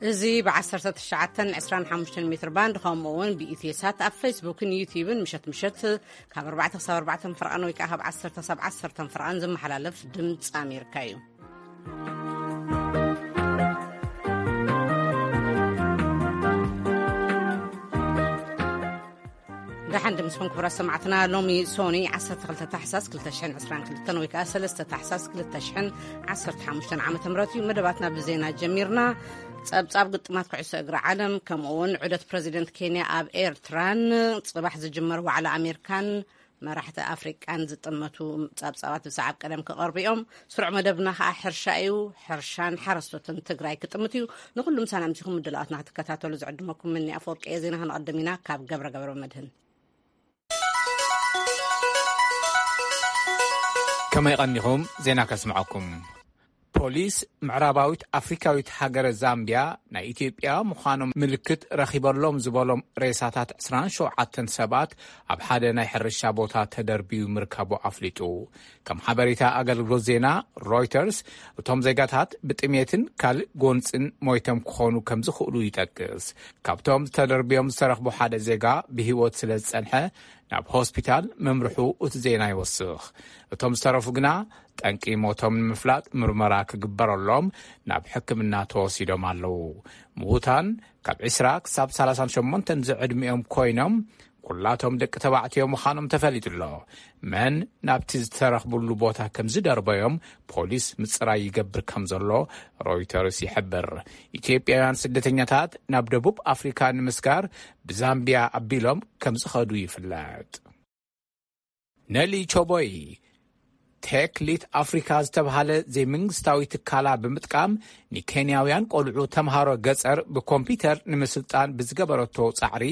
እዚ ብ19 25 ሜትር ባንድ፣ ከምኡ እውን ብኢትዮ ሳት ኣብ ፌስቡክን ዩቲዩብን ምሸት ምሸት ካብ ኣርባዕተ ክሳብ ኣርባዕተ ፍርቓን ወይ ከዓ ካብ ዓሰርተ ክሳብ ዓሰርተ ፍርቓን ዝመሓላለፍ ድምፂ ኣሜሪካ እዩ። ደሓን ድምፅኹም ክቡራት ሰማዕትና። ሎሚ ሶኒ ዓሰርተ ክልተ ታሕሳስ ክልተ ሽሕን ዕስራን ክልተን ወይ ከዓ ሰለስተ ታሕሳስ ክልተ ሽሕን ዓሰርተ ሓሙሽተን ዓመተ ምህረት እዩ። መደባትና ብዜና ጀሚርና። ጸብጻብ ግጥማት ኩዕሶ እግሪ ዓለም፣ ከምኡ እውን ዑደት ፕረዚደንት ኬንያ ኣብ ኤርትራን ጽባሕ ዝጅመር ዋዕላ ኣሜሪካን መራሕቲ ኣፍሪቃን ዝጥመቱ ጸብጻባት ብሰዓብ ቀደም ክቐርቡ እዮም። ስሩዕ መደብና ከዓ ሕርሻ እዩ። ሕርሻን ሓረስቶትን ትግራይ ክጥምት እዩ። ንኹሉም ሰላምቲኹም ምድላዋትና ክትከታተሉ ዝዕድመኩም ምኒ ኣፈወርቂ እየ። ዜና ክንቐድም ኢና ካብ ገብረ ገብረ መድህን። ከመይ ቀኒኹም? ዜና ከስምዐኩም። ፖሊስ ምዕራባዊት ኣፍሪካዊት ሃገረ ዛምቢያ ናይ ኢትዮጵያ ምዃኖም ምልክት ረኺበሎም ዝበሎም ሬሳታት ዕስራን ሸውዓተን ሰባት ኣብ ሓደ ናይ ሕርሻ ቦታ ተደርብዩ ምርካቡ ኣፍሊጡ። ከም ሓበሬታ ኣገልግሎት ዜና ሮይተርስ፣ እቶም ዜጋታት ብጥሜትን ካልእ ጎንፅን ሞይቶም ክኾኑ ከም ዝኽእሉ ይጠቅስ። ካብቶም ተደርብዮም ዝተረኽቡ ሓደ ዜጋ ብህይወት ስለ ዝጸንሐ ናብ ሆስፒታል ምምርሑ እቲ ዜና ይወስኽ። እቶም ዝተረፉ ግና ጠንቂ ሞቶም ንምፍላጥ ምርመራ ክግበረሎም ናብ ሕክምና ተወሲዶም ኣለዉ። ምዉታን ካብ ዕስራ ክሳብ ሰላሳን ሸሞንተን ዝዕድሚኦም ኮይኖም ኩላቶም ደቂ ተባዕትዮ ምዃኖም ተፈሊጡ ኣሎ። መን ናብቲ ዝተረኽብሉ ቦታ ከም ዝደርበዮም ፖሊስ ምጽራይ ይገብር ከም ዘሎ ሮይተርስ ይሕብር። ኢትዮጵያውያን ስደተኛታት ናብ ደቡብ ኣፍሪካ ንምስጋር ብዛምቢያ ኣቢሎም ከም ዝኸዱ ይፍለጥ። ነሊ ቾቦይ ቴክ ሊት ኣፍሪካ ዝተብሃለ ዘይመንግስታዊ ትካላ ብምጥቃም ንኬንያውያን ቆልዑ ተምሃሮ ገጸር ብኮምፒውተር ንምስልጣን ብዝገበረቶ ጻዕሪ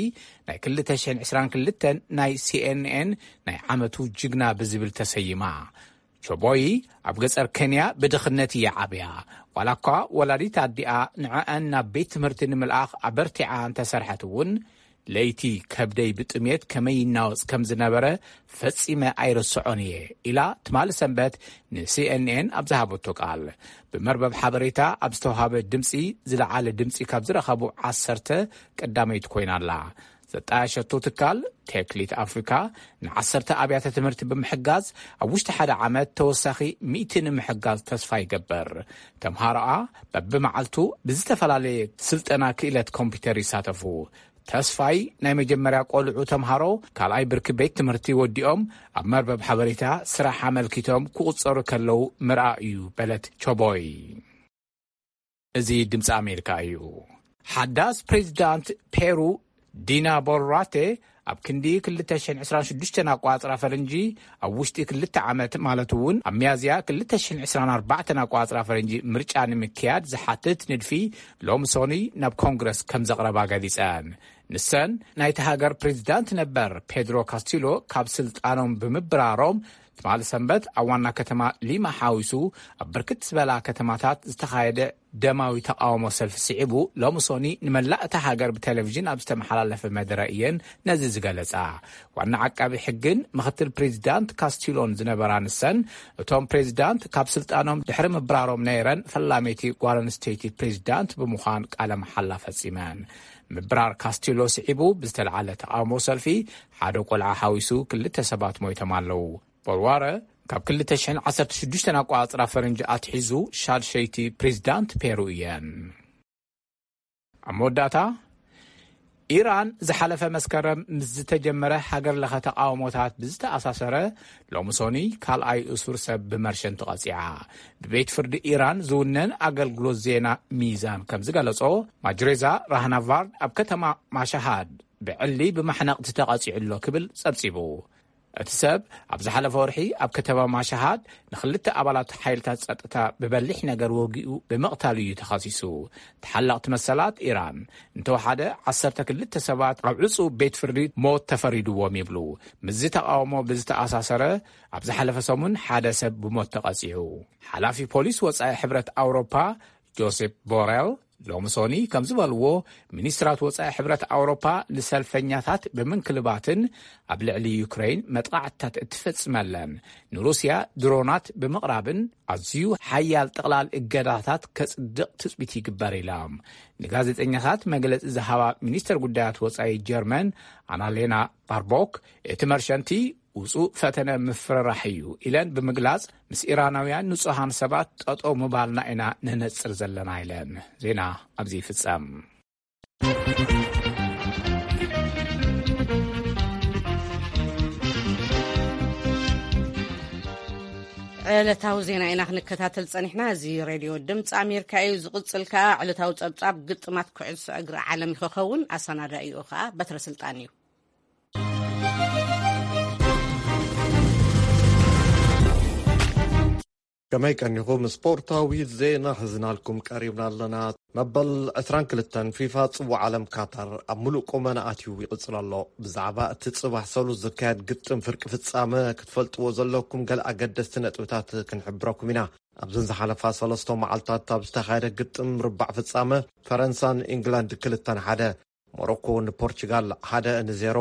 ናይ ክልተ ሽሕን ዕስራን ክልተን ናይ ሲኤንኤን ናይ ዓመቱ ጅግና ብዝብል ተሰይማ። ቾቦይ ኣብ ገጸር ኬንያ ብድኽነት እያ ዓብያ። ዋላ እኳ ወላዲት ኣዲኣ ንዕኣን ናብ ቤት ትምህርቲ ንምልኣኽ ኣበርቲዓ እንተሰርሐት እውን፣ ለይቲ ከብደይ ብጥሜት ከመይ ይናወጽ ከም ዝነበረ ፈጺመ ኣይርስዖን እየ ኢላ ትማሊ ሰንበት ንሲኤንኤን ኣብ ዝሃበቶ ቃል። ብመርበብ ሓበሬታ ኣብ ዝተዋሃበ ድምጺ ዝለዓለ ድምጺ ካብ ዝረኸቡ ዓሰርተ ቀዳመይቲ ኮይና ኣላ። ዘጣየሸቶ ትካል ቴክሊት ኣፍሪካ ንዓሰርተ ኣብያተ ትምህርቲ ብምሕጋዝ ኣብ ውሽጢ ሓደ ዓመት ተወሳኺ ሚእቲ ንምሕጋዝ ተስፋ ይገብር። ተምሃሮኣ በብመዓልቱ ብዝተፈላለየ ስልጠና ክእለት ኮምፒውተር ይሳተፉ። ተስፋይ ናይ መጀመርያ ቆልዑ ተምሃሮ ካልኣይ ብርኪ ቤት ትምህርቲ ወዲኦም ኣብ መርበብ ሓበሬታ ስራሕ ኣመልኪቶም ክቑጸሩ ከለዉ ምርኣ እዩ በለት ቾቦይ። እዚ ድምፂ ኣሜሪካ እዩ። ሓዳስ ፕሬዚዳንት ፔሩ ዲና ቦሉራቴ ኣብ ክንዲ ክልተ ሽሕን ዕስራን ሽዱሽተን ኣቋፅራ ፈረንጂ ኣብ ውሽጢ ክልተ ዓመት ማለት እውን ኣብ ሚያዝያ ክልተ ሽሕን ዕስራን ኣርባዕተን ኣቋፅራ ፈረንጂ ምርጫ ንምክያድ ዝሓትት ንድፊ ሎሚ ሶኒ ናብ ኮንግረስ ከም ዘቕረባ ገሊፀን። ንሰን ናይቲ ሃገር ፕሬዚዳንት ነበር ፔድሮ ካስቲሎ ካብ ስልጣኖም ብምብራሮም ትማሊ ሰንበት ኣብ ዋና ከተማ ሊማ ሓዊሱ ኣብ ብርክት ዝበላ ከተማታት ዝተኻየደ ደማዊ ተቃውሞ ሰልፊ ስዒቡ ሎሚ ሶኒ ንመላእ እታ ሃገር ብቴሌቪዥን ኣብ ዝተመሓላለፈ መደረ እየን ነዚ ዝገለጻ። ዋና ዓቃቢ ሕግን ምኽትል ፕሬዚዳንት ካስቲሎን ዝነበራ ንሰን እቶም ፕሬዚዳንት ካብ ስልጣኖም ድሕሪ ምብራሮም ነይረን ፈላመይቲ ጓል ኣንስተይቲ ፕሬዚዳንት ብምዃን ቃለ መሓላ ፈጺመን። ምብራር ካስቲሎ ስዒቡ ብዝተለዓለ ተቃውሞ ሰልፊ ሓደ ቆልዓ ሓዊሱ ክልተ ሰባት ሞይቶም ኣለዉ። ቦልዋረ ካብ ክልተ ሽሕን ዓሰርተ ሽዱሽተን ኣቋጽራ ፈረንጂ ኣትሒዙ ሻድሸይቲ ፕሬዚዳንት ፔሩ እየን። ኣብ መወዳእታ፣ ኢራን ዝሓለፈ መስከረም ምስ ዝተጀመረ ሃገር ለኸ ተቃውሞታት ብዝተኣሳሰረ ሎሚ ሶኒ ካልኣይ እሱር ሰብ ብመርሸን ተቐጺዓ። ብቤት ፍርዲ ኢራን ዝውነን ኣገልግሎት ዜና ሚዛን ከም ዝገለጾ፣ ማጅሬዛ ራህናቫርድ ኣብ ከተማ ማሻሃድ ብዕሊ ብማሕነቕቲ ተቐጺዑ ኣሎ ክብል ጸብጺቡ። እቲ ሰብ ኣብ ዝሓለፈ ወርሒ ኣብ ከተማ ማሻሃድ ንኽልተ ኣባላት ሓይልታት ጸጥታ ብበሊሕ ነገር ወጊኡ ብምቕታሉ እዩ ተኸሲሱ። ተሓለቕቲ መሰላት ኢራን እንተወሓደ ዓሰርተ ክልተ ሰባት ኣብ ዕጹው ቤት ፍርዲ ሞት ተፈሪድዎም ይብሉ። ምስዚ ተቓውሞ ብዝተኣሳሰረ ኣብ ዝሓለፈ ሰሙን ሓደ ሰብ ብሞት ተቐጺዑ። ሓላፊ ፖሊስ ወጻኢ ሕብረት ኣውሮፓ ጆሴፕ ቦሬል ሎሚ ሶኒ ከም ዝበልዎ፣ ሚኒስትራት ወጻኢ ሕብረት ኣውሮፓ ንሰልፈኛታት ብምንክልባትን ኣብ ልዕሊ ዩክሬን መጥቓዕትታት እትፈጽመለን ንሩስያ ድሮናት ብምቕራብን ኣዝዩ ሓያል ጥቕላል እገዳታት ከጽድቕ ትጽቢት ይግበር ኢሎም። ንጋዜጠኛታት መግለጺ ዝሃባ ሚኒስተር ጉዳያት ወጻኢ ጀርመን ኣናሌና ባርቦክ፣ እቲ መርሸንቲ ውጹእ ፈተነ ምፍርራሕ እዩ ኢለን ብምግላጽ፣ ምስ ኢራናውያን ንጹሃን ሰባት ጠጠው ምባልና ኢና ነነጽር ዘለና ኢለን። ዜና ኣብዚ ይፍጸም። ዕለታዊ ዜና ኢና ክንከታተል ጸኒሕና። እዚ ሬድዮ ድምፂ ኣሜሪካ እዩ። ዝቕጽል ከኣ ዕለታዊ ጸብጻብ ግጥማት ኩዕሶ እግሪ ዓለም ክኸውን፣ ኣሰናዳኢኡ ከኣ በትረ ስልጣን እዩ። ከመይ ቀኒኹም? ስፖርታዊ ዜና ሒዝናልኩም ቀሪብና ኣለና። መበል ዕስራን ክልተን ፊፋ ጽዋዕ ዓለም ካታር ኣብ ምሉእ ቁመና ኣትዩ ይቕጽል ኣሎ። ብዛዕባ እቲ ጽባሕ ሰሉስ ዝካየድ ግጥም ፍርቂ ፍጻመ ክትፈልጥዎ ዘለኩም ገለ ኣገደስቲ ነጥብታት ክንሕብረኩም ኢና። ኣብዘን ዝሓለፋ ሰለስተ መዓልታት ኣብ ዝተኻየደ ግጥም ርባዕ ፍጻመ፣ ፈረንሳን ኢንግላንድ ክልተን ሓደ፣ ሞሮኮ ንፖርቹጋል ሓደ ንዜሮ፣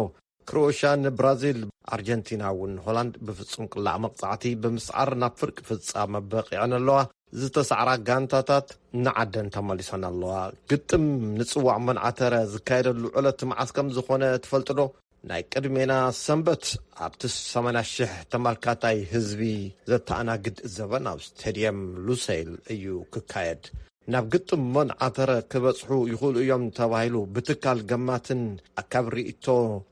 ክሮኤሽያ ንብራዚል፣ ኣርጀንቲና እውን ሆላንድ ብፍጹም ቅላዕ መቕጻዕቲ ብምስዓር ናብ ፍርቂ ፍጻመ በቒዐን ኣለዋ። ዝተሳዕራ ጋንታታት ንዓደን ተመሊሰን ኣለዋ። ግጥም ንጽዋዕ መንዓተረ ዝካየደሉ ዕለት መዓስ ከም ዝኾነ ትፈልጡ ዶ? ናይ ቅድሜና ሰንበት ኣብቲ ሰማንያ ሽሕ ተመልካታይ ህዝቢ ዘተኣናግድ ዘበን ኣብ ስቴድየም ሉሴል እዩ ክካየድ። ናብ ግጥም መንዓተረ ክበጽሑ ይኽእሉ እዮም ተባሂሉ ብትካል ገማትን ኣካብ ርእይቶ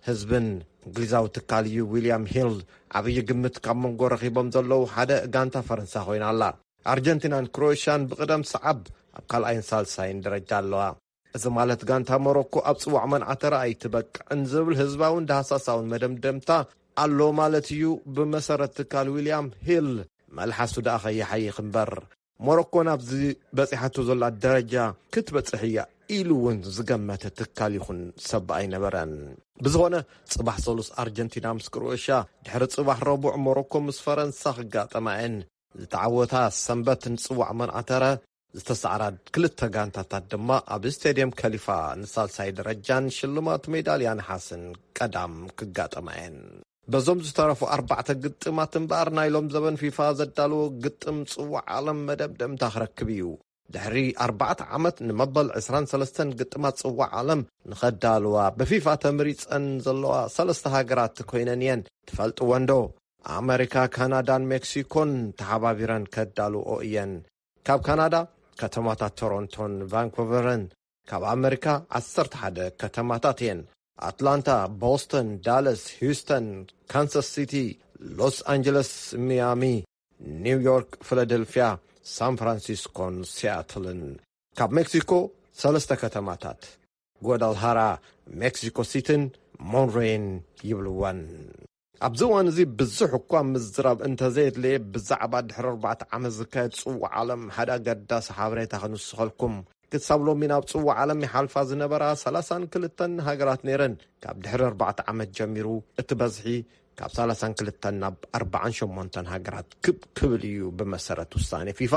ህዝብን እንግሊዛዊ ትካል እዩ ዊልያም ሂል ዓብዪ ግምት ካብ መንጎ ረኺቦም ዘለዉ ሓደ ጋንታ ፈረንሳ ኮይና ኣላ። ኣርጀንቲናን ክሮኤሽያን ብቕደም ሰዓብ ኣብ ካልኣይን ሳልሳይን ደረጃ ኣለዋ። እዚ ማለት ጋንታ ሞሮኮ ኣብ ጽዋዕ መንዓተረ ኣይትበቅዕን ዝብል ህዝባውን ዳህሳሳውን መደምደምታ ኣሎ ማለት እዩ። ብመሰረት ትካል ዊልያም ሂል መልሓሱ ደኣ ከይሓይኽ እምበር፣ ሞሮኮ ናብዚ በጺሓቶ ዘላ ደረጃ ክትበጽሕ እያ ኢሉ እውን ዝገመተ ትካል ይኹን ሰብ ኣይነበረን። ብዝኾነ፣ ጽባሕ ሰሉስ ኣርጀንቲና ምስ ክሮኤሽያ፣ ድሕሪ ጽባሕ ረቡዕ ሞሮኮ ምስ ፈረንሳ ክጋጠማ እየን። ዝተዓወታ ሰንበት ንጽዋዕ መንዓተረ፣ ዝተሳዕራ ክልተ ጋንታታት ድማ ኣብ ስቴድየም ከሊፋ ንሳልሳይ ደረጃን ሽልማት ሜዳልያ ነሓስን ቀዳም ክጋጠማ እየን። በዞም ዝተረፉ ኣርባዕተ ግጥማት እምበኣር፣ ናይ ሎም ዘበን ፊፋ ዘዳለዎ ግጥም ጽዋዕ ዓለም መደምደምታ ክረክብ እዩ። ድሕሪ ኣርባዕተ ዓመት ንመበል ዕስራን ሰለስተን ግጥማት ጽዋዕ ዓለም ንኸዳልዋ ብፊፋ ተመሪጸን ዘለዋ ሰለስተ ሃገራት ኮይነን እየን። ትፈልጥወን ዶ? ኣመሪካ፣ ካናዳን ሜክሲኮን ተሓባቢረን ከዳልዎ እየን። ካብ ካናዳ፣ ከተማታት ቶሮንቶን ቫንኮቨርን፣ ካብ ኣመሪካ ዓሰርተ ሓደ ከተማታት እየን። ኣትላንታ፣ ቦስተን፣ ዳለስ፣ ሂውስተን፣ ካንሳስ ሲቲ፣ ሎስ ኣንጀለስ፣ ሚያሚ፣ ኒውዮርክ፣ ፊላደልፊያ፣ ሳን ፍራንሲስኮን ሲያትልን። ካብ ሜክሲኮ ሰለስተ ከተማታት፣ ጓዳልሃራ፣ ሜክሲኮ ሲቲን ሞንሬን ይብልወን። ኣብዚ እዋን እዚ ብዙሕ እኳ ምዝራብ እንተዘየድለየ፣ ብዛዕባ ድሕሪ ኣርባዕተ ዓመት ዝካየድ ጽዋዕ ዓለም ሓደ ኣገዳሲ ሓበሬታ ክንውስኸልኩም። ክሳብ ሎሚ ናብ ጽዋዕ ዓለም ይሓልፋ ዝነበራ ሰላሳን ክልተን ሃገራት ነይረን። ካብ ድሕሪ ኣርባዕተ ዓመት ጀሚሩ እቲ በዝሒ ካብ ሰላሳን ክልተን ናብ ኣርባዓን ሸሞንተን ሃገራት ክብ ክብል እዩ። ብመሰረት ውሳኔ ፊፋ፣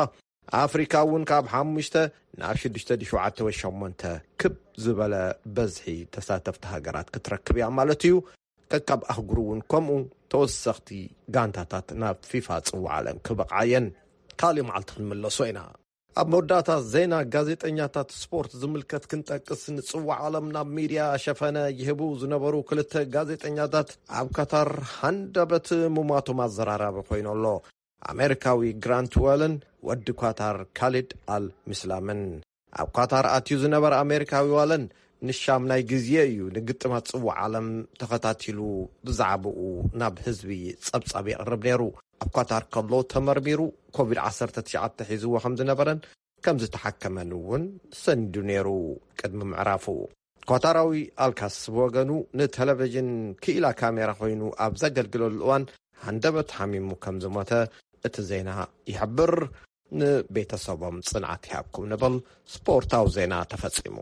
ኣፍሪካ እውን ካብ ሓሙሽተ ናብ ሽዱሽተ ድዩ ሸውዓተ ወይ ሸሞንተ ክብ ዝበለ በዝሒ ተሳተፍቲ ሃገራት ክትረክብ እያ ማለት እዩ። ከካብ ኣህጉሩ እውን ከምኡ ተወሰኽቲ ጋንታታት ናብ ፊፋ ጽዋዕ ዓለም ክበቕዓ እየን። ካልእ መዓልቲ ክንምለሶ ኢና። ኣብ መወዳእታ ዜና፣ ጋዜጠኛታት ስፖርት ዝምልከት ክንጠቅስ፣ ንጽዋዕ ዓለም ናብ ሚድያ ሸፈነ ይህቡ ዝነበሩ ክልተ ጋዜጠኛታት ኣብ ካታር ሃንደበት ምሟቶም ኣዘራራቢ ኮይኑ ኣሎ። ኣሜሪካዊ ግራንት ዋለን ወዲ ኳታር ካሊድ ኣል ሚስላምን። ኣብ ኳታር ኣትዩ ዝነበረ ኣሜሪካዊ ዋለን ንሻምናይ ግዜ እዩ ንግጥማት ጽዋዕ ዓለም ተኸታቲሉ ብዛዕባኡ ናብ ህዝቢ ጸብጻብ የቕርብ ነይሩ። ኣብ ኳታር ከሎ ተመርሚሩ ኮቪድ ዓሰርተ ትሽዓተ ሒዝዎ ከም ዝነበረን ከም ዝተሓከመን እውን ሰኒዱ ነይሩ። ቅድሚ ምዕራፉ፣ ኳታራዊ ኣልካስ ብወገኑ ንቴሌቪዥን ክኢላ ካሜራ ኮይኑ ኣብ ዘገልግለሉ እዋን ሃንደበት ሓሚሙ ከም ዝሞተ እቲ ዜና ይሕብር። ንቤተሰቦም ጽንዓት ይሃብኩም ንብል። ስፖርታዊ ዜና ተፈጺሙ።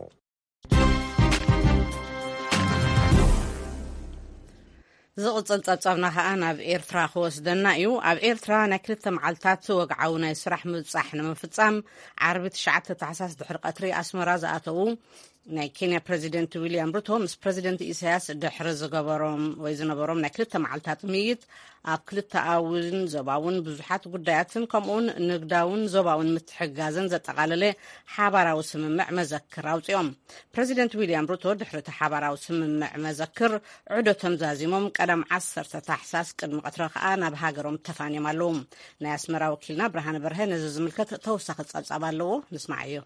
ዝቕጽል ጸብጻብና ከኣ ናብ ኤርትራ ክወስደና እዩ። ኣብ ኤርትራ ናይ ክልተ መዓልታት ወግዓዊ ናይ ስራሕ ምብጻሕ ንምፍጻም፣ ዓርቢ ትሽዓተ ታሕሳስ ድሕሪ ቀትሪ ኣስመራ ዝኣተዉ ናይ ኬንያ ፕረዚደንት ዊልያም ሩቶ ምስ ፕረዚደንት ኢሳያስ ድሕሪ ዝገበሮም ወይ ዝነበሮም ናይ ክልተ መዓልታት ምይይጥ፣ ኣብ ክልተኣውን ዞባውን ብዙሓት ጉዳያትን ከምኡውን ንግዳውን ዞባውን ምትሕግጋዝን ዘጠቓለለ ሓባራዊ ስምምዕ መዘክር ኣውጺኦም። ፕረዚደንት ዊልያም ሩቶ ድሕሪ እቲ ሓባራዊ ስምምዕ መዘክር ዑደቶም ዛዚሞም ቀዳም ዓሰርተ ታሕሳስ ቅድሚ ቀትሪ ከኣ ናብ ሃገሮም ተፋንዮም ኣለዉ። ናይ ኣስመራ ወኪልና ብርሃነ በርሀ ነዚ ዝምልከት ተወሳኺ ጸብጻብ ኣለዎ፣ ንስማዓዮ።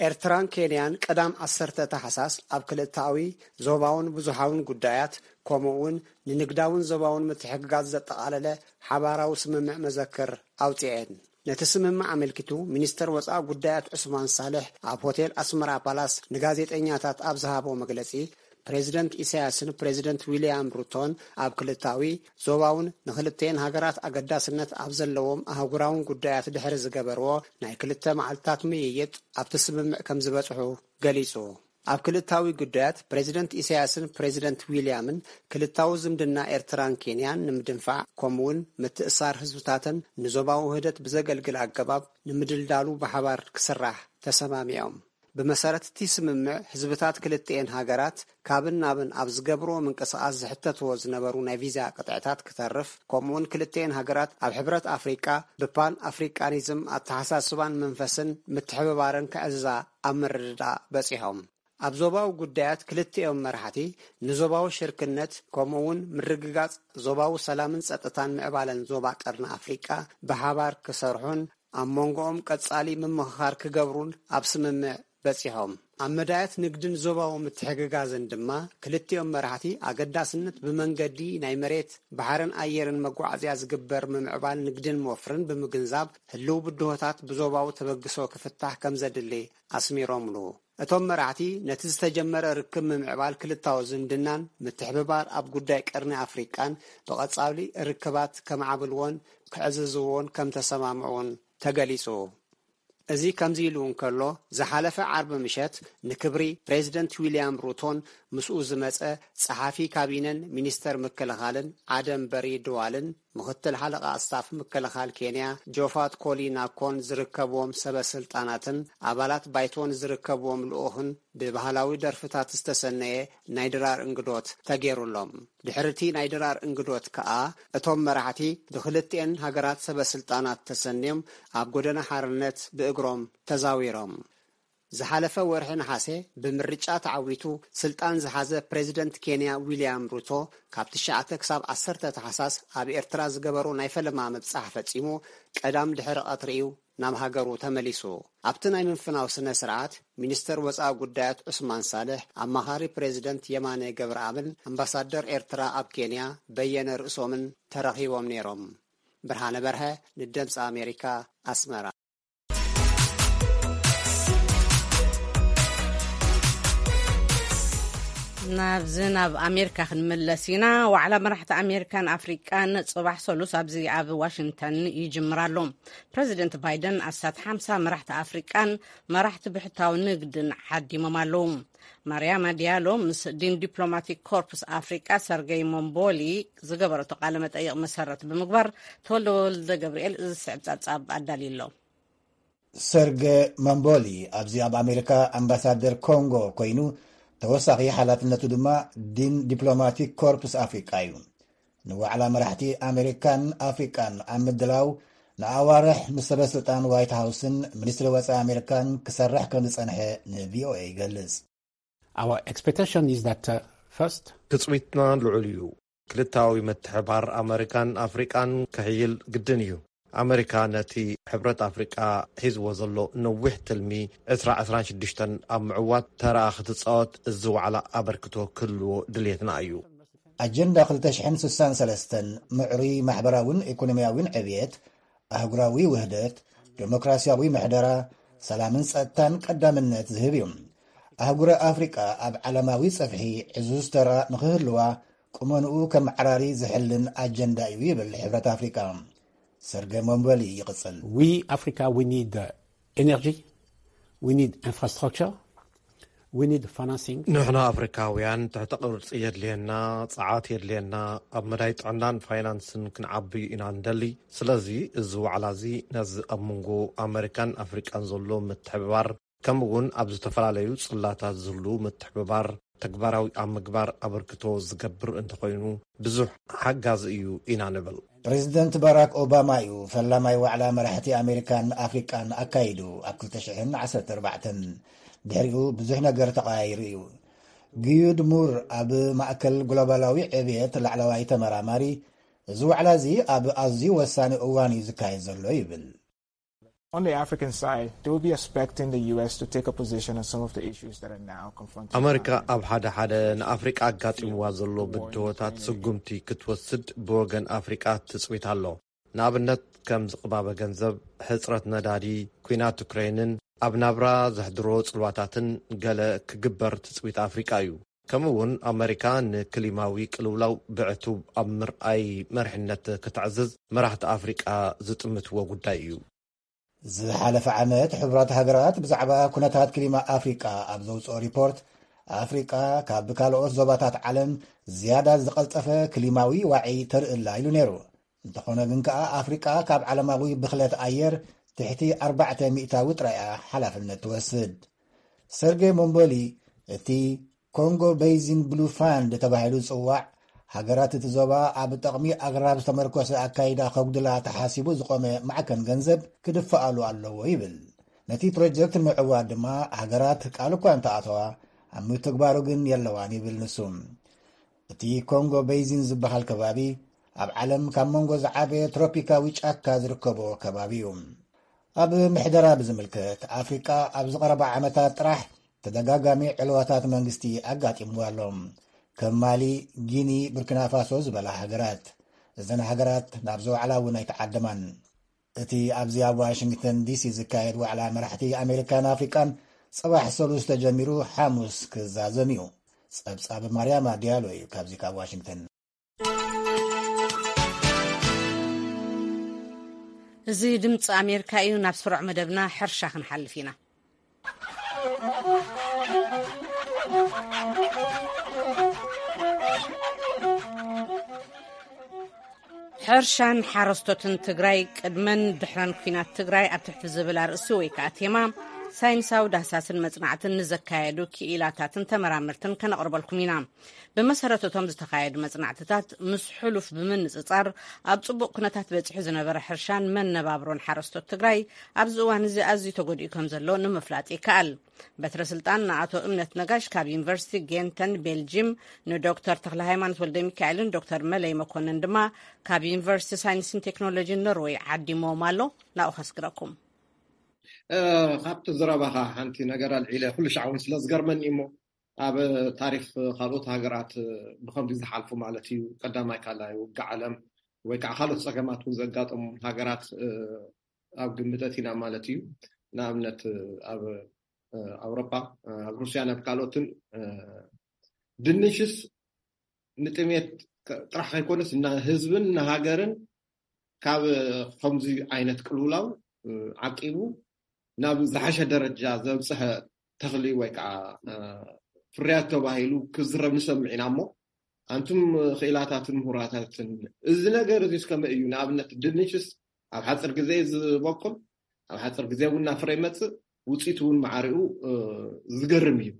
ኤርትራን ኬንያን ቀዳም ዓሰርተ ታሕሳስ ኣብ ክልተኣዊ ዞባውን ብዙሓውን ጉዳያት፣ ከምኡ'ውን ንንግዳውን ዞባውን ምትሕግጋዝ ዘጠቓለለ ሓባራዊ ስምምዕ መዘክር ኣውጺኤን። ነቲ ስምምዕ ኣመልኪቱ ሚኒስተር ወጻኢ ጉዳያት ዑስማን ሳልሕ ኣብ ሆቴል ኣስመራ ፓላስ ንጋዜጠኛታት ኣብ ዝሃቦ መግለጺ፣ ፕሬዚደንት ኢሳያስን ፕሬዚደንት ዊልያም ሩቶን ኣብ ክልታዊ፣ ዞባውን ንክልተኤን ሃገራት ኣገዳስነት ኣብ ዘለዎም ኣህጉራውን ጉዳያት ድሕሪ ዝገበርዎ ናይ ክልተ መዓልታት ምይይጥ ኣብቲ ስምምዕ ከም ዝበጽሑ ገሊጹ። ኣብ ክልታዊ ጉዳያት ፕሬዚደንት ኢሳያስን ፕሬዚደንት ዊልያምን ክልታዊ ዝምድና ኤርትራን ኬንያን ንምድንፋዕ ከምኡውን ምትእሳር ህዝብታተን ንዞባዊ ውህደት ብዘገልግል ኣገባብ ንምድልዳሉ ብሓባር ክስራሕ ተሰማሚዖም። ብመሰረት እቲ ስምምዕ ህዝብታት ክልተኤን ሃገራት ካብን ናብን ኣብ ዝገብርዎ ምንቅስቓስ ዝሕተትዎ ዝነበሩ ናይ ቪዛ ቅጥዕታት ክተርፍ፣ ከምኡውን ክልተኤን ሃገራት ኣብ ሕብረት ኣፍሪቃ ብፓን ኣፍሪቃኒዝም ኣተሓሳስባን መንፈስን ምትሕብባርን ክዕዝዛ ኣብ ምርድዳእ በጺሖም። ኣብ ዞባዊ ጉዳያት ክልቲኦም መራሕቲ ንዞባዊ ሽርክነት ከምኡውን ምርግጋጽ ዞባዊ ሰላምን ጸጥታን ምዕባለን ዞባ ቀርኒ ኣፍሪቃ ብሓባር ክሰርሑን ኣብ መንጎኦም ቀጻሊ ምምኽኻር ክገብሩን ኣብ ስምምዕ በጺሖም። ኣብ መዳያት ንግድን ዞባዊ ምትሕግጋዝን ድማ ክልቲኦም መራሕቲ ኣገዳስነት ብመንገዲ ናይ መሬት፣ ባሕርን ኣየርን መጓዓዝያ ዝግበር ምምዕባል ንግድን ወፍርን ብምግንዛብ ህልው ብድሆታት ብዞባዊ ተበግሶ ክፍታሕ ከም ዘድሊ ኣስሚሮምሉ። እቶም መራሕቲ ነቲ ዝተጀመረ ርክብ ምምዕባል ክልታዊ ዝምድናን ምትሕብባር ኣብ ጉዳይ ቀርኒ ኣፍሪቃን ብቐጻሊ ርክባት ከማዕብልዎን ክዕዝዝዎን ከም ተሰማምዑን ተገሊጹ። እዚ ከምዚ ኢሉ እንከሎ፣ ዝሓለፈ ዓርቢ ምሸት ንክብሪ ፕሬዚደንት ዊልያም ሩቶን ምስኡ ዝመጸ ጸሓፊ ካቢነን ሚኒስተር ምክልኻልን ዓደም በሪ ድዋልን ምኽትል ሓለቓ ስታፍ ምክልኻል ኬንያ ጆፋት ኮሊ ናኮን ዝርከብዎም ሰበ ስልጣናትን ኣባላት ባይቶን ዝርከብዎም ልኡኽን ብባህላዊ ደርፍታት ዝተሰነየ ናይ ድራር እንግዶት ተገይሩሎም። ድሕሪ እቲ ናይ ድራር እንግዶት ከኣ እቶም መራሕቲ ብክልቲኤን ሃገራት ሰበ ስልጣናት ተሰንዮም ኣብ ጎደና ሓርነት ብእግሮም ተዛዊሮም። ዝሓለፈ ወርሒ ነሓሰ ብምርጫ ተዓዊቱ ስልጣን ዝሓዘ ፕሬዚደንት ኬንያ ዊልያም ሩቶ ካብ ትሽዓተ ክሳብ ዓሰርተ ታሕሳስ ኣብ ኤርትራ ዝገበሮ ናይ ፈለማ ምብጻሕ ፈጺሙ ቀዳም ድሕሪ ቀትሪ እዩ ናብ ሃገሩ ተመሊሱ። ኣብቲ ናይ ምፍናው ስነ ስርዓት ሚኒስተር ወጻኢ ጉዳያት ዑስማን ሳልሕ፣ ኣማኻሪ ፕሬዚደንት የማነ ገብረኣብን ኣምባሳደር ኤርትራ ኣብ ኬንያ በየነ ርእሶምን ተረኺቦም ነይሮም። ብርሃነ በርሀ ንድምፂ ኣሜሪካ ኣስመራ። ናብዚ ናብ ኣሜሪካ ክንምለስ ኢና። ዋዕላ መራሕቲ ኣሜሪካን ኣፍሪቃን ጽባሕ ሰሉስ ኣብዚ ኣብ ዋሽንግተን ይጅምር ኣሎ። ፕረዚደንት ባይደን ኣስታት ሓምሳ መራሕቲ ኣፍሪቃን መራሕቲ ብሕታዊ ንግድን ዓዲሞም ኣለዉ። ማርያማ ዲያሎ ምስ ዲን ዲፕሎማቲክ ኮርፕስ ኣፍሪቃ ሰርገይ ሞምቦሊ ዝገበረቶ ቃለ መጠይቕ መሰረት ብምግባር፣ ተወልደ ወልደ ገብርኤል እዚ ዝስዕብ ጸብጻብ ኣዳልዩ ኣሎ። ሰርገ ማምቦሊ ኣብዚ ኣብ ኣሜሪካ ኣምባሳደር ኮንጎ ኮይኑ፣ ተወሳኺ ሓላፍነቱ ድማ ዲን ዲፕሎማቲክ ኮርፕስ ኣፍሪቃ እዩ። ንዋዕላ መራሕቲ ኣሜሪካን ኣፍሪቃን ኣብ ምድላው ንኣዋርሕ ምስ ሰበ ስልጣን ዋይት ሃውስን ሚኒስትሪ ወጻኢ ኣሜሪካን ክሰርሕ ከም ዝጸንሐ ንቪኦኤ ይገልጽ። Our expectation is that uh, first ትጽቢትና ልዑል እዩ። ክልታዊ ምትሕባር ኣመሪካን ኣፍሪቃን ክሕይል ግድን እዩ። ኣመሪካ ነቲ ሕብረት ኣፍሪቃ ሒዝዎ ዘሎ ነዊሕ ትልሚ ዕስራ ዕስራን ሽዱሽተን ኣብ ምዕዋት ተራኣ ክትጻወት እዚ ዋዕላ ኣበርክቶ ክህልዎ ድልየትና እዩ። ኣጀንዳ ክልተ ሽሕን ስሳን ሰለስተን ምዕሩይ ማሕበራውን ኢኮኖሚያውን ዕብየት፣ ኣህጉራዊ ውህደት፣ ዴሞክራሲያዊ ምሕደራ፣ ሰላምን ጸጥታን ቀዳምነት ዝህብ እዩ። ኣህጉረ ኣፍሪቃ ኣብ ዓለማዊ ጸፍሒ ዕዙዝ ተራ ንኽህልዋ ቁመንኡ ከመዓራሪ ዝሕልን ኣጀንዳ እዩ ይብል ሕብረት ኣፍሪቃ። ሰርገ ሞምበሊ ይቕጽል። We Africa, we need uh, energy, we need infrastructure, We need financing. ንሕና ኣፍሪካውያን ትሕተ ቅርፂ የድልየና፣ ፀዓት የድልየና። ኣብ መዳይ ጥዕናን ፋይናንስን ክንዓብዩ ኢና ንደሊ። ስለዚ እዚ ዋዕላ እዚ ነዚ ኣብ መንጎ ኣመሪካን ኣፍሪቃን ዘሎ ምትሕብባር፣ ከምኡ እውን ኣብ ዝተፈላለዩ ፅላታት ዝህሉ ምትሕብባር ተግባራዊ ኣብ ምግባር ኣበርክቶ ዝገብር እንተኾይኑ፣ ብዙሕ ሓጋዚ እዩ ኢና ንብል። ፕሬዚደንት ባራክ ኦባማ እዩ ፈላማይ ዋዕላ መራሕቲ ኣሜሪካን ኣፍሪቃን ኣካይዱ ኣብ ክልተ ሽሕን ዓሰርተ ኣርባዕተን። ድሕሪኡ ብዙሕ ነገር ተቐያይሩ እዩ። ግዩድ ሙር፣ ኣብ ማእከል ግሎባላዊ ዕብየት ላዕለዋይ ተመራማሪ፣ እዚ ዋዕላ እዚ ኣብ ኣዝዩ ወሳኒ እዋን እዩ ዝካየድ ዘሎ ይብል። On the African side, they will be expecting the U S to take a position on some of the issues that are now confronting ኣመሪካ Africa. ኣብ ሓደ ሓደ ንኣፍሪቃ ኣጋጢምዋ ዘሎ ብድሆታት ስጉምቲ ክትወስድ ብወገን ኣፍሪቃ ትፅቢት ኣሎ። ንኣብነት ከም ዝቕባበ ገንዘብ፣ ሕፅረት ነዳዲ፣ ኲናት ዩክሬንን ኣብ ናብራ ዘሕድሮ ፅልዋታትን ገለ ክግበር ትፅቢት ኣፍሪቃ እዩ። ከምኡ እውን ኣመሪካ ንክሊማዊ ቅልውላው ብዕቱብ ኣብ ምርኣይ መርሕነት ከተዕዝዝ መራሕቲ ኣፍሪቃ ዝጥምትዎ ጉዳይ እዩ። ዝሓለፈ ዓመት ሕቡራት ሃገራት ብዛዕባ ኩነታት ክሊማ ኣፍሪቃ ኣብ ዘውፅኦ ሪፖርት፣ ኣፍሪቃ ካብ ካልኦት ዞባታት ዓለም ዝያዳ ዝቐልጠፈ ክሊማዊ ዋዒ ተርእላ ኢሉ ነይሩ። እንተኾነ ግን ከኣ ኣፍሪቃ ካብ ዓለማዊ ብኽለት ኣየር ትሕቲ ኣርባዕተ ሚእታዊ ጥራይ እያ ሓላፍነት ትወስድ። ሰርጌ ሞምቦሊ፣ እቲ ኮንጎ ቤይዚን ብሉ ፋንድ ተባሂሉ ዝጽዋዕ፣ ሃገራት እቲ ዞባ ኣብ ጠቕሚ ኣግራብ ዝተመርኮሰ ኣካይዳ ከጉድላ ተሓሲቡ ዝቖመ ማዕከን ገንዘብ ክድፍኣሉ ኣለዎ ይብል። ነቲ ፕሮጀክት ንምዕዋት ድማ ሃገራት ቃል እኳ እንተኣተዋ፣ ኣብ ምትግባሩ ግን የለዋን ይብል ንሱ። እቲ ኮንጎ ቤይዚን ዝበሃል ከባቢ ኣብ ዓለም ካብ መንጎ ዝዓበየ ትሮፒካዊ ጫካ ዝርከቦ ከባቢ እዩ። ኣብ ምሕደራ ብዝምልከት፣ ኣፍሪቃ ኣብዚ ቀረባ ዓመታት ጥራሕ ተደጋጋሚ ዕልዋታት መንግስቲ ኣጋጢምዋ ኣሎ። ከም ማሊ፣ ጊኒ፣ ቡርኪናፋሶ ዝበላ ሃገራት። እዘን ሃገራት ናብዚ ዋዕላ እውን ኣይተዓደማን። እቲ ኣብዚ ኣብ ዋሽንግተን ዲሲ ዝካየድ ዋዕላ መራሕቲ ኣሜሪካን ኣፍሪቃን፣ ጽባሕ ሰሉስ ተጀሚሩ ሓሙስ ክዛዘም እዩ። ጸብጻብ ማርያማ ዲያሎ እዩ ካብዚ ካብ ዋሽንግተን። እዚ ድምፂ ኣሜሪካ እዩ። ናብ ስሩዕ መደብና ሕርሻ ክንሓልፍ ኢና። ሕርሻን ሓረስቶትን ትግራይ ቅድመን ድሕረን ኩናት ትግራይ ኣብ ትሕቲ ዝብል ኣርእስቲ ወይ ከዓ ቴማ፣ ሳይንሳዊ ዳህሳስን መፅናዕትን ንዘካየዱ ክኢላታትን ተመራመርትን ከነቕርበልኩም ኢና። ብመሰረት እቶም ዝተኻየዱ መፅናዕትታት፣ ምስ ሕሉፍ ብምንፅፃር ኣብ ፅቡቕ ኩነታት በፂሑ ዝነበረ ሕርሻን መነባብሮን ሓረስቶት ትግራይ ኣብዚ እዋን እዚ ኣዝዩ ተጎዲኡ ከም ዘሎ ንምፍላጥ ይከኣል። በትረ ስልጣን ንኣቶ እምነት ነጋሽ ካብ ዩኒቨርሲቲ ጌንተን ቤልጂም፣ ንዶክተር ተክለ ሃይማኖት ወልደ ሚካኤልን ዶክተር መለይ መኮንን ድማ ካብ ዩኒቨርሲቲ ሳይንስን ቴክኖሎጂን ኖርወይ ዓዲሞም ኣሎ። ናብኡ ከስግረኩም። እ፣ ካብቲ ዝረባኻ ሓንቲ ነገር ኣልዒለ፣ ኩሉ ሻዕ እውን ስለ ዝገርመኒ እሞ፣ ኣብ ታሪክ ካልኦት ሃገራት ብከምዚ ዝሓልፉ ማለት እዩ። ቀዳማይ ካልኣይ ውግእ ዓለም ወይ ከዓ ካልኦት ፀገማት እውን ዘጋጠሙ ሃገራት፣ እ፣ ኣብ ግምት ኣእቲና ማለት እዩ። ንኣብነት ኣብ፣ እ፣ ኣውሮፓ፣ እ፣ ኣብ ሩስያን ኣብ ካልኦትን፣ እ፣ ድንሽስ ንጥሜት ክ-፣ ጥራሕ ከይኮነስ እና ህዝብን ንሃገርን ካብ ከምዚ ዓይነት ቅልውላው፣ እ፣ ዓቂቡ ናብ ዝሓሸ ደረጃ ዘብፅሐ ተኽሊ ወይ ከዓ፣ እ፣ ፍርያት ተባሂሉ ክዝረብ ንሰምዕ ኢና እሞ፣ ኣንቱም ክኢላታትን ምሁራታትን፣ እዚ ነገር እዚ እስከመይ እዩ? ንኣብነት ድንሽስ ኣብ ሓፂር ግዜ እዩ ዝበቁል፣ ኣብ ሓፂር ግዜ እውን ናብ ፍረ ይመፅእ፣ ውፅኢቱ እውን ማዕሪኡ፣ እ፣ ዝገርም እዩ።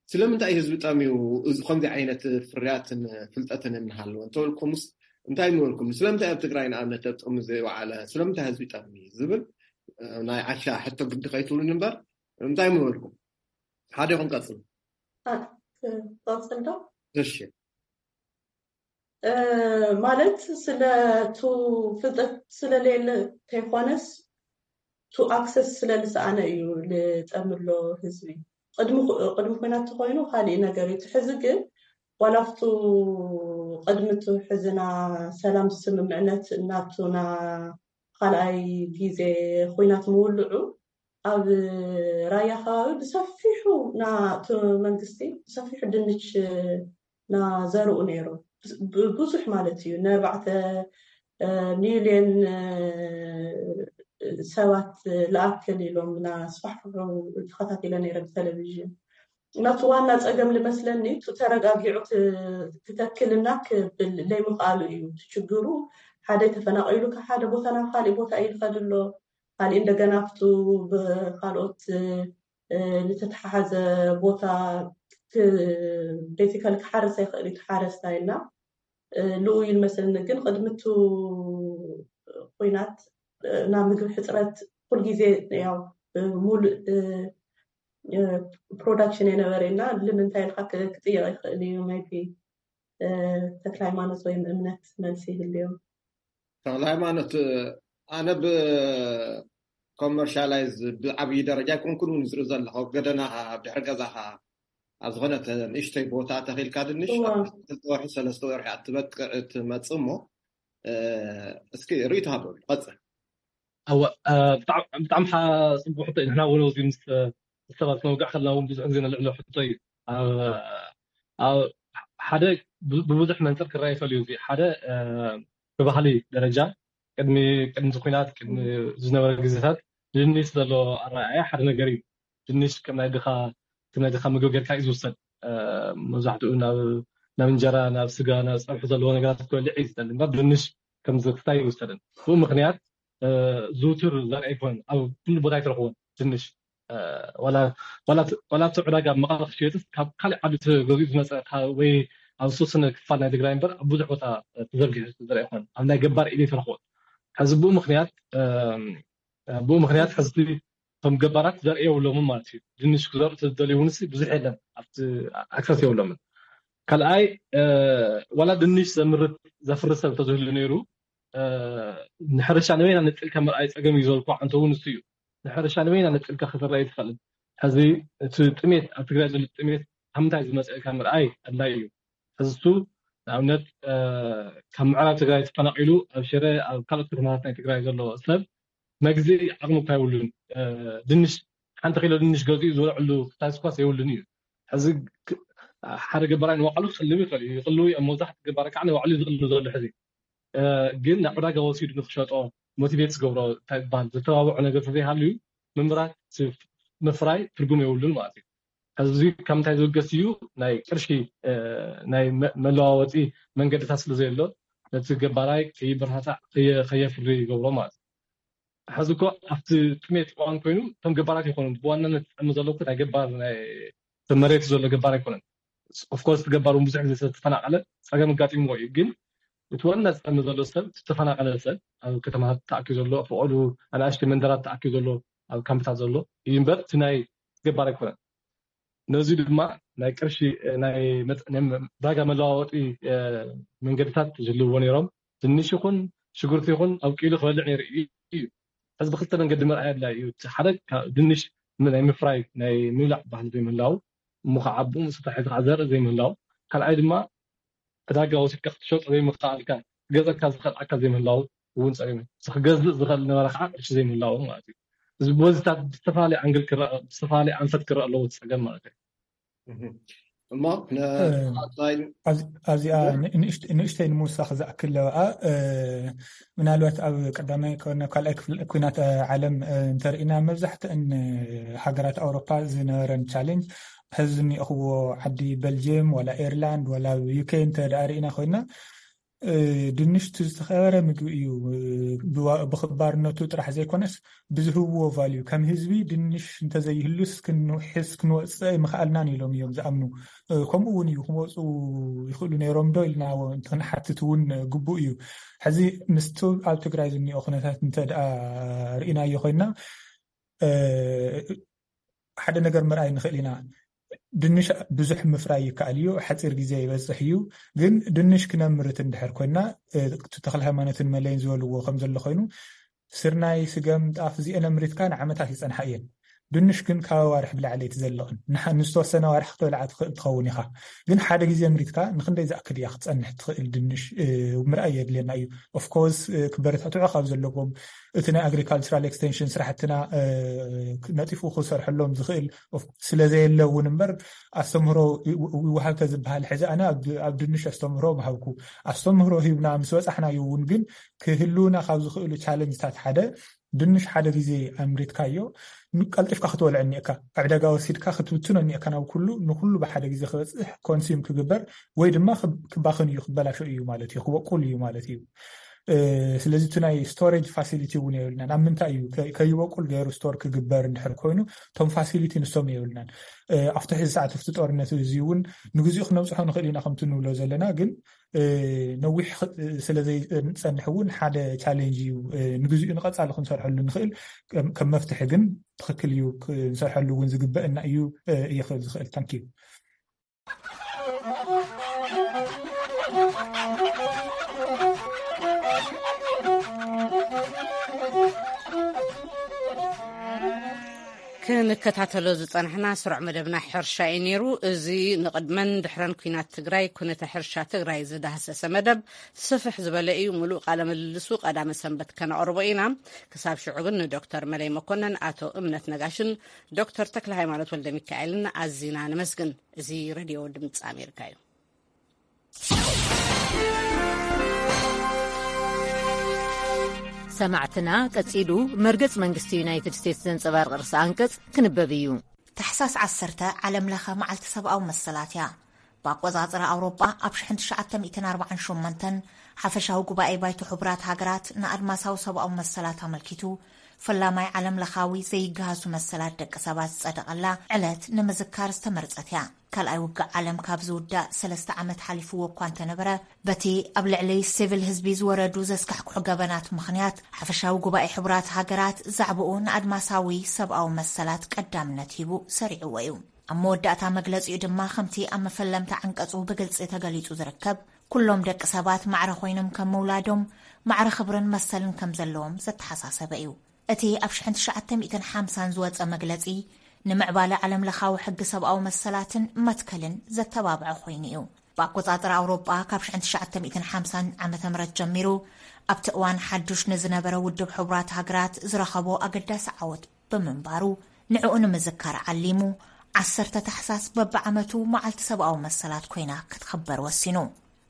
ስለምንታይ ህዝቢ ጠምዩ እዚ ከምዚ ዓይነት ፍርያትን ፍልጠትን እናሃለወ እንተበልኩምስ፣ እንታይ ምበልኩም? ስለምንታይ ኣብ ትግራይ ንኣብነት ኣብ ጥቕሚ ዘይወዓለ? ስለምንታይ ህዝቢ ጠምዩ ዝብል፣ እ፣ ናይ ዓሻ ሕቶ ግዲ ከይትብሉኒ እምበር፣ እንታይ ምበልኩም? ሓደ ይኹን ቀጽሉ። አ፣ ክቐጽል ዶ? እሺ። እ፣ ማለት ስለ ቱ ፍልጠት ስለሌለ ተይኮነስ ቱ ኣክሰስ ስለልሰኣነ እዩ ልጠምሎ ህዝቢ። ቅድሚ ኩ-፣ ቅድሚ ኩናት ተኮይኑ ካሊእ ነገር እዩ። እቲ ሕዚ ግን ዋላ ኣብቱ ቅድሚ እቲ ሕዝና ሰላም ስምምዕነት እናቱና ካልኣይ ግዜ ኩናት ምውልዑ ኣብ ራያ ከባቢ ብሰፊሑ ናቱ መንግስቲ ብሰፊሑ ድንች ናዘርኡ ነይሮም። ብ-፣ ብዙሕ ማለት እዩ። ንኣርባዕተ፣ እ፣ ሚልዮን፣ እ፣ ሰባት ለኣክል ኢሎም ናስፋሕፍሑ ተኸታቲለ ነይረ ብቴሌቪዥን። ናቱ ዋና ጸገም ልመስለኒ፣ እቱ ተረጋጊዑ ክ-፣ ክተክልና ክብል ለይምኽኣሉ እዩ እቲ ችግሩ። ሓደ ተፈናቒሉ ካብ ሓደ ቦታ ናብ ካሊእ ቦታ እዩ ዝኸድ ኣሎ። ካሊእ እንደገና ኣብቱ ብኻልኦት፣ እ፣ ዝተተሓሓዘ ቦታ ክ-፣ ቤዚካሊ ክሓርስ ኣይኽእል እዩ፣ እቲ ሓረስታይ እና፣ እ፣ ልኡ ይመስለኒ። ግን ቅድሚ እቱ ኹናት፣ እ፣ ናብ ምግቢ ሕፅረት ኩልግዜ ያው፣ እ፣ ሙሉእ፣ እ፣ እ፣ ፕሮዳክሽን የነበረ እና ልምንታይ ኢልካ ክ-፣ ክጥየቕ ይኽእል እዩ። ሜቢ፣ እ፣ ተክለ ሃይማኖት ወይም እምነት መልሲ ይህልዮም። ተክለ ሃይማኖት፣ ኣነ ብ ኮመርሻላይዝ ብዓብዪ ደረጃ ኣይኮንኩን እውን ዝርኢ ዘለኹ። ገደናኻ፣ ኣብ ድሕሪ ገዛኻ፣ ኣብ ዝኾነት ንእሽተይ ቦታ ተኺልካ ድንሽ፣ እዋ። ኣብ ክልተ ወርሒ፣ ሰለስተ ወርሒ ኣትበቅዕ፣ ትመጽእ እሞ፣ እ፣ እስኪ ርእይቶ ሃበሉ፣ ቀጽል። እወ፣ እ፣ ብጣዕሚ፣ ብጣዕሚ ሓ-፣ ጽቡቅ ሕቶ እዩ። ንሕና እውን ኣብዚ ምስ፣ ምስ ሰባት ክነውግዕ ከለና እውን ብዙሕ ግዜ ነልዕሎ ሕቶ እዩ። ኣብ፣ ኣብ ሓደ ብ-፣ ብብዙሕ መንፅር ክረኣ ይኽእል እዩ። እዚ ሓደ፣ እ፣ ብባህሊ ደረጃ ቅድሚ፣ ቅድሚ እዚ ኲናት፣ ቅድሚ ዝነበረ ግዜታት ድንሽ ዘሎ ኣረኣእያ ሓደ ነገር እዩ። ድንሽ ከም ናይ ድኻ፣ ከም ናይ ድኻ ምግቢ ጌርካ እዩ ዝውሰድ። እ፣ መብዛሕትኡ ናብ፣ ናብ እንጀራ፣ ናብ ስጋ፣ ናብ ፀብሒ ዘለዎ ነገራት ክበልዕ እዩ ዝደሊ እምበር ድንሽ ከም ዝስታይ ይውሰድን። ብኡ ምኽንያት፣ እ፣ ዝውቱር ዘርኢ ኣይኮነን። ኣብ ኩሉ ቦታ ኣይትረኽቦን ድንሽ። እ፣ ዋላ፣ ዋላ እቲ፣ ዋላ እቲ ዕዳጋ ኣብ መቐለ ክሽየጥስ ካብ ካልእ ዓዲ ተገዚኡ ዝመፀ፣ ካብ፣ ወይ ኣብ ዝተወሰነ ክፋል ናይ ትግራይ እምበር ኣብ ብዙሕ ቦታ ተዘርጊሑ ዝተዘርአ ኣይኮነን። ኣብ ናይ ገባር ኢድ ኣይትረኽቦን። ሕዚ ብኡ ምኽንያት፣ እ፣ ብኡ ምኽንያት ሕዚ እቶም ገባራት ዘርኢ የብሎምን ማለት እዩ። ድንሽ ክዘርኡ ተዝደልዩ እውን ብዙሕ የለን፣ ኣብቲ ኣክሰስ የብሎምን። ካልኣይ፣ እ፣ ዋላ ድንሽ ዘምርት፣ ዘፍሪ ሰብ ተዝህሉ ነይሩ፣ እ፣ ንሕርሻ ንበይና ነፂልካ ምርኣይ ፀገም እዩ ዝበልኩ። ኣንተ እውን እሱ እዩ። ንሕርሻ ንበይና ነፂልካ ክዝረእ ኣይትኽእልን። ሕዚ እቲ ጥሜት፣ ኣብ ትግራይ ዘሎ ጥሜት ካብ ምንታይ ዝመፀ ኢልካ ምርኣይ ኣድላይ እዩ። ሕዚ እሱ ንኣብነት፣ እ፣ ካብ ምዕራብ ትግራይ ተፈናቒሉ ኣብ ሽረ፣ ኣብ ካልኦት ከተማታት ናይ ትግራይ ዘሎ ሰብ መግዝኢ ዓቕሚ እኳ የብሉን። እ፣ ድንሽ፣ ሓንቲ ኪሎ ድንሽ ገዚኡ ዝበልዐሉ ክታስኳስ የብሉን እዩ። ሕዚ ክ-፣ ሓደ ገባራይ ንባዕሉ ክቕልብ ይኽእል እዩ። ይቕልው እዮም። መብዛሕትኡ ገባራይ ከዓ ንባዕሉ እዩ ዝቕልብ ዘሎ ሕዚ። እ፣ ግን ናብ ዕዳጋ ወሲዱ ንክሸጦ ሞቲቬት ዝገብሮ እንታይ ይበሃል፣ ዘተባብዖ ነገር ተዘይሃልዩ ምምራት፣ ምፍራይ ትርጉም የብሉን ማለት እዩ። ሕዚ እዚ ካብ ምንታይ ዝብገስ እዩ? ናይ ቅርሺ፣ እ፣ ናይ መ-፣ መለዋወጢ መንገድታት ስለ ዘየሎ ነቲ ገባራይ ከይበረታታዕ፣ ከየ-፣ ከየፍሪ ይገብሮ ማለት እዩ። ሕዚ እኮ ኣብቲ ጥሜት እዋን ኮይኑ እቶም ገባራት ይኾኑ ብዋናነት ዝጠሚ ዘሎ እኮ ናይ ገባር፣ ናይ መሬት ዘሎ ገባር ኣይኮነን። ኦፍኮርስ እቲ ገባር እውን ብዙሕ ግዜ ዝተፈናቐለ ፀገም ኣጋጢምዎ እዩ። ግን እቲ ዋና ዝጠሚ ዘሎ ሰብ፣ እቲ ዝተፈናቐለ ሰብ፣ ኣብ ከተማታት ተኣኪቡ ዘሎ፣ ፈቐዱ ኣናእሽተይ መንደራት ተኣኪቡ ዘሎ፣ ኣብ ካምፕታት ዘሎ እዩ እምበር እቲ ናይ ገባር ኣይኮነን። ነዚ ድማ ናይ ቅርሺ፣ ናይ መጥ-፣ ናይ ዕዳጋ መለዋወጢ፣ እ፣ መንገድታት ዝህልውዎ ነይሮም። ድንሽ ይኹን ሽጉርቲ ይኹን ኣብቂሉ ክበልዕ ነይሩ እዩ። ሕዚ ብክልተ መንገዲ ምርኣይ ኣድላይ እዩ። እቲ ሓደ ካብ ድንሽ ም-፣ ናይ ምፍራይ፣ ናይ ምብላዕ ባህሊ ዘይምህላው፣ እሞ ከዓ ኣብኡ ምስ ተታሒዙ ከዓ ዘርኢ ዘይምህላው፣ ካልኣይ ድማ ዕዳጋ ወሲድካ ክትሸጦ ዘይምኽኣልካ፣ ክገዘካ ዝኽእል ኣካል ዘይምህላው እውን ፀገም እዩ። እዚ ክገዝእ ዝኽእል ነበረ ከዓ ቅርሺ ዘይምህላው ማለት እዩ። እዚ በዚታት ብዝተፈላለየ ኣንግል ክረአ፣ ብዝተፈላለየ ኣንፈት ክረአ ኣለዎ እቲ ፀገም ማለት እዩ። እሞ ን-፣ እ፣ ኣታይ-፣ ኣብዚ-፣ ኣብዚኣ ን-፣ ንእሽት-፣ ንእሽተይ ንምውሳኽ ዝኣክል ለበኣ፣ እ፣ ምናልባት ኣብ ቀዳማይ ኮነ ካልኣይ ክፍለ-፣ ኲናት፣ እ፣ ዓለም፣ እ፣ እንተርኢና መብዛሕትአን፣ እ፣ ሃገራት ኣውሮፓ ዝነበረን ቻሌንጅ ሕዚ ዝኒኦኽዎ ዓዲ በልጅየም ዋላ ኤርላንድ ዋላ ዩኬ እንተ ደኣ ርኢና ኮይና፣ እ፣ ድንሽ እቲ ዝተኸበረ ምግቢ እዩ። እ፣ ብዋ-፣ ብኽባርነቱ ጥራሕ ዘይኮነስ ብዝህብዎ ቫልዩ ከም ህዝቢ ድንሽ እንተዘይህሉስ ክንውሕስ ክንወፅእ ኣይምኽኣልናን ኢሎም እዮም ዝኣምኑ። እ፣ ከምኡ እውን እዩ ክመፁ ይኽእሉ ነይሮም ዶ ኢልና ክንሓትት እውን ግቡእ እዩ። ሕዚ ምስቲ ኣብ ትግራይ ዝኒኦ ኩነታት እንተ ደኣ ርኢናዮ ኮይና፣ እ፣ ሓደ ነገር ምርኣይ ንኽእል ኢና። ድንሽ ብዙሕ ምፍራይ ይከኣል እዩ፣ ሓፂር ግዜ ይበፅሕ እዩ። ግን ድንሽ ክነምርት እንድሕር ኮይና፣ እ፣ እቲ ተክለ ሃይማኖትን መለይን ዝበልዎ ከም ዘሎ ኮይኑ ስርናይ፣ ስገም፣ ጣፍ እዚአን ኣምሪትካ ንዓመታት ይፀንሓ እየን። ድንሽ ግን ካብ ኣዋርሕ ብላዕሊ ኣይትዘልቕን። ንሓ-፣ ንዝተወሰነ ኣዋርሕ ክትበልዓ ትኽእል ትኸውን ኢኻ። ግን ሓደ ግዜ ኣምሪትካ ንክንደይ ዝኣክል እያ ክትፀንሕ ትኽእል ድንሽ፣ እ፣ ምርኣይ የድልየና እዩ። ኦፍኮርስ፣ እ፣ ክበረታትዑ ካብ ዘለዎም እቲ ናይ ኣግሪካልቸራል ኤክስቴንሽን ስራሕትና፣ እ፣ ነጢፉ ክሰርሐሎም ዝኽእል ኦፍ-፣ ስለ ዘየለ እውን እምበር ኣስተምህሮ ይው-፣ ይወሃብ ተዝበሃል ሕዚ ኣነ ኣብ፣ ኣብ ድንሽ ኣስተምህሮ ምሃብኩ። ኣስተምህሮ ሂብና ምስ በፃሕናዮ እውን ግን ክህልውና ካብ ዝኽእሉ ቻለንጅታት ሓደ ድንሽ ሓደ ግዜ ኣምሪትካዮ፣ ን-፣ ቀልጢፍካ ክትበልዖ እኒኤካ። ኣብ ዕዳጋ ወሲድካ ክትብትኖ እኒኤካ ናብ ኩሉ፣ ንኩሉ ብሓደ ግዜ ክበጽሕ፣ ኮንሱም ክግበር ወይ ድማ ክብ-፣ ክባኽን እዩ፣ ክበላሾ እዩ ማለት እዩ፣ ክበቁል እዩ ማለት እዩ። እ፣ ስለዚ እቲ ናይ ስቶሬጅ ፋሲሊቲ እውን የብልናን። ኣብ ምንታይ እዩ ከ-፣ ከይበቁል ገይሩ ስቶር ክግበር እንድሕር ኮይኑ፣ እቶም ፋሲሊቲ ንሶም የብልናን። እ፣ ኣብቲ ሕዚ ሰዓት ኣብቲ ጦርነት እዚ እውን ንግዚኡ ክነብጽሖ ንኽእል ኢና ከምቲ ንብሎ ዘለና፣ ግን እ፣ ነዊሕ ኽ-፣ ስለ ዘይጸንሕ እውን ሓደ ቻሌንጅ እዩ። እ፣ ንግዚኡ ንቐጻሊ ክንሰርሐሉ ንኽእል፣ ከም፣ ከም መፍትሒ ግን ትኽክል እዩ፣ ክንሰርሐሉ እውን ዝግበእና እዩ፣ እ፣ እየ ክብል ዝኽእል። ታንኪዩ። ክንከታተሎ ዝጸናሕና ስሩዕ መደብና ሕርሻ እዩ ነይሩ። እዚ ንቕድመን ድሕረን ኲናት ትግራይ ኩነተ ሕርሻ ትግራይ ዝዳህሰሰ መደብ ስፍሕ ዝበለ እዩ። ምሉእ ቃለ ምልልሱ ቀዳመ ሰንበት ከነቕርቦ ኢና። ክሳብ ሽዑ ግን ንዶክተር መለይ መኮነን፣ ኣቶ እምነት ነጋሽን ዶክተር ተክለ ሃይማኖት ወልደ ሚካኤልን ኣዚና ነመስግን። እዚ ሬድዮ ድምፂ ኣሜሪካ እዩ። ሰማዕትና፣ ቀጺሉ መርገጽ መንግስቲ ዩናይትድ ስቴትስ ዘንጸባርቕ ርእሰ ኣንቀጽ ክንበብ እዩ። ታሕሳስ ዓሰርተ ዓለም ለኸ መዓልቲ ሰብኣዊ መሰላት እያ። ብኣቆጻጽራ ኣውሮጳ ኣብ ሽሕን ትሽዓተ ሚእትን ኣርባዓን ሸሞንተን ሓፈሻዊ ጉባኤ ባይቶ ሕቡራት ሃገራት ንኣድማሳዊ ሰብኣዊ መሰላት ኣመልኪቱ ፈላማይ ዓለም ለኻዊ ዘይገሃሱ መሰላት ደቂ ሰባት ዝጸደቐላ ዕለት ንምዝካር ዝተመርጸት እያ። ካልኣይ ውግእ ዓለም ካብ ዝውዳእ ሰለስተ ዓመት ሓሊፍዎ እኳ እንተነበረ፣ በቲ ኣብ ልዕሊ ሲቪል ህዝቢ ዝወረዱ ዘስካሕክሑ ገበናት ምኽንያት፣ ሓፈሻዊ ጉባኤ ሕቡራት ሃገራት ዛዕባኡ ንኣድማሳዊ ሰብኣዊ መሰላት ቀዳምነት ሂቡ ሰሪዕዎ እዩ። ኣብ መወዳእታ መግለጺኡ ድማ፣ ከምቲ ኣብ መፈለምታ ዓንቀጹ ብግልጺ ተገሊጹ ዝርከብ፣ ኩሎም ደቂ ሰባት ማዕረ ኮይኖም ከም ምውላዶም፣ ማዕረ ክብርን መሰልን ከም ዘለዎም ዘተሓሳሰበ እዩ። እቲ ኣብ ሽሕን ትሽዓተ ሚእትን ሓምሳን ዝወጸ መግለጺ፣ ንምዕባለ ዓለም ለኻዊ ሕጊ ሰብኣዊ መሰላትን መትከልን ዘተባብዐ ኮይኑ እዩ። ብኣቆጻጽራ ኣውሮጳ፣ ካብ ሽሕን ትሽዓተ ሚእትን ሓምሳን ዓመተ ምህረት ጀሚሩ፣ ኣብቲ እዋን ሓዱሽ ንዝነበረ ውድብ ሕቡራት ሃገራት ዝረኸቦ ኣገዳሲ ዓወት ብምንባሩ፣ ንዕኡ ንምዝካር ዓሊሙ፣ ዓሰርተ ታሕሳስ በብዓመቱ መዓልቲ ሰብኣዊ መሰላት ኮይና ክትኽበር ወሲኑ።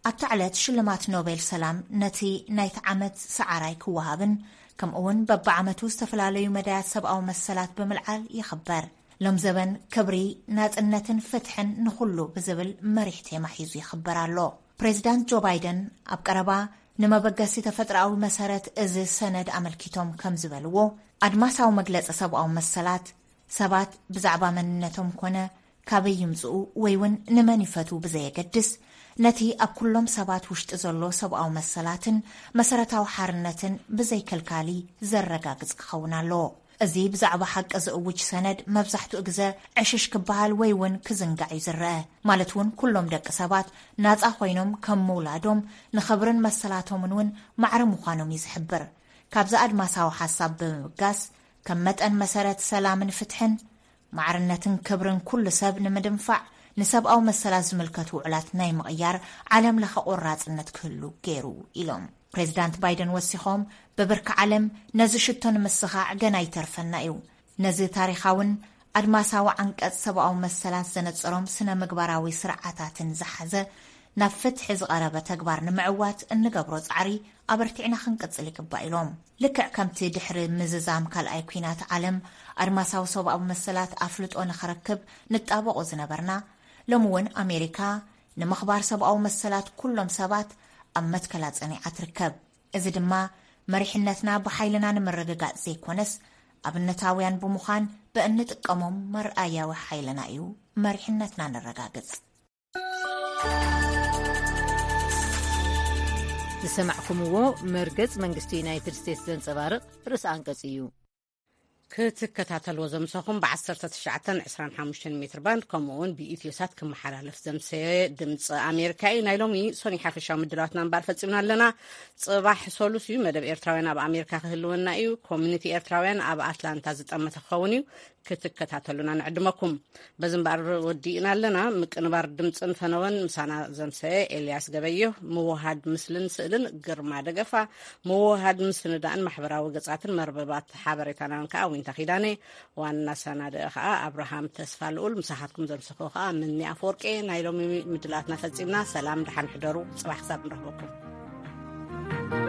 ኣብታ ዕለት ሽልማት ኖቤል ሰላም ነቲ ናይቲ ዓመት ሰዓራይ ክወሃብን፣ ከምኡውን በብዓመቱ ዝተፈላለዩ መዳያት ሰብኣዊ መሰላት ብምልዓል ይኽበር። ሎም ዘበን ክብሪ፣ ናጽነትን ፍትሕን ንኹሉ ብዝብል መሪሕ ቴማ ሒዙ ይኽበር ኣሎ። ፕሬዚዳንት ጆ ባይደን ኣብ ቀረባ ንመበገሲ ተፈጥሮኣዊ መሰረት እዚ ሰነድ ኣመልኪቶም ከም ዝበልዎ፣ ኣድማሳዊ መግለጺ ሰብኣዊ መሰላት ሰባት ብዛዕባ መንነቶም ኮነ ካበይ ይምጽኡ ወይ እውን ንመን ይፈትዉ ብዘየገድስ፣ ነቲ ኣብ ኩሎም ሰባት ውሽጢ ዘሎ ሰብኣዊ መሰላትን መሰረታዊ ሓርነትን ብዘይከልካሊ ዘረጋግጽ ክኸውን ኣለዎ። እዚ ብዛዕባ ሓቂ ዝእውጅ ሰነድ መብዛሕትኡ ግዘ ዕሽሽ ክበሃል ወይ እውን ክዝንጋዕ እዩ ዝረአ። ማለት እውን ኩሎም ደቂ ሰባት ናጻ ኮይኖም ከም ምውላዶም ንኽብርን መሰላቶምን እውን ማዕረ ምዃኖም እዩ ዝሕብር። ካብዚ ኣድማሳዊ ሓሳብ ብምብጋስ፣ ከም መጠን መሰረት ሰላምን ፍትሕን፣ ማዕርነትን ክብርን ኩሉ ሰብ ንምድንፋዕ፣ ንሰብኣዊ መሰላት ዝምልከቱ ውዕላት ናይ ምቕያር ዓለም ለኸ ቆራጽነት ክህሉ ገይሩ ኢሎም። ፕሬዚዳንት ባይደን ወሲኾም፣ ብብርኪ ዓለም ነዚ ሽቶ ንምስኻዕ ገና ይተርፈና እዩ። ነዚ ታሪኻውን ኣድማሳዊ ዓንቀጽ ሰብኣዊ መሰላት ዘነጸሮም ስነ ምግባራዊ ስርዓታትን ዝሓዘ ናብ ፍትሒ ዝቐረበ ተግባር ንምዕዋት እንገብሮ ጻዕሪ ኣበርቲዕና ክንቅጽል ይግባእ ኢሎም። ልክዕ ከምቲ ድሕሪ ምዝዛም ካልኣይ ኲናት ዓለም ኣድማሳዊ ሰብኣዊ መሰላት ኣፍልጦ ንኽረክብ ንጣበቆ ዝነበርና፣ ሎሚ እውን ኣሜሪካ ንምኽባር ሰብኣዊ መሰላት ኩሎም ሰባት ኣብ መትከላ ጸኒዓ ትርከብ። እዚ ድማ መሪሕነትና ብሓይልና ንምርግጋጽ ዘይኮነስ፣ ኣብነታውያን ብምዃን ብእንጥቀሞም መርኣያዊ ሓይልና እዩ መሪሕነትና ነረጋግጽ። ዝሰማዕኩምዎ መርገጽ መንግስቲ ዩናይትድ ስቴትስ ዘንጸባርቕ ርእሲ ኣንቀጽ እዩ። ክትከታተልዎ ዘምሰኹም ብ ዓሰርተ ትሽዓተን ዕስራን ሓሙሽተን ሜትር ባንድ፣ ከምኡ እውን ብኢትዮ ሳት ክመሓላለፍ ዘምሰየ ድምፂ ኣሜሪካ እዩ። ናይ ሎሚ ሶኒ ሓፈሻዊ ምድላዋትና እምበኣር ፈፂምና ኣለና። ፅባሕ ሶሉስ እዩ። መደብ ኤርትራውያን ኣብ ኣሜሪካ ክህልወና እዩ። ኮሚኒቲ ኤርትራውያን ኣብ ኣትላንታ ዝጠመተ ክኸውን እዩ። ክትከታተሉና ንዕድመኩም። በዚ እምበኣር ወዲእና ኣለና። ምቅንባር ድምፅን ፈነወን ምሳና ዘምሰየ ኤልያስ ገበየሁ፣ ምውሃድ ምስልን ስእልን ግርማ ደገፋ፣ ምውሃድ ምስንዳእን ማሕበራዊ ገጻትን መርበባት ሓበሬታናን ከኣ ዊንታ ኪዳነ፣ ዋና ሰናድእ ከኣ ኣብርሃም ተስፋ ልኡል። ምሳኻትኩም ዘምሰኹ ከኣ ምኒ ኣፈወርቄ። ናይ ሎሚ ምድላትና ፈጺምና። ሰላም፣ ደሓን ሕደሩ። ጽባሕ ክሳብ ንረኽበኩም።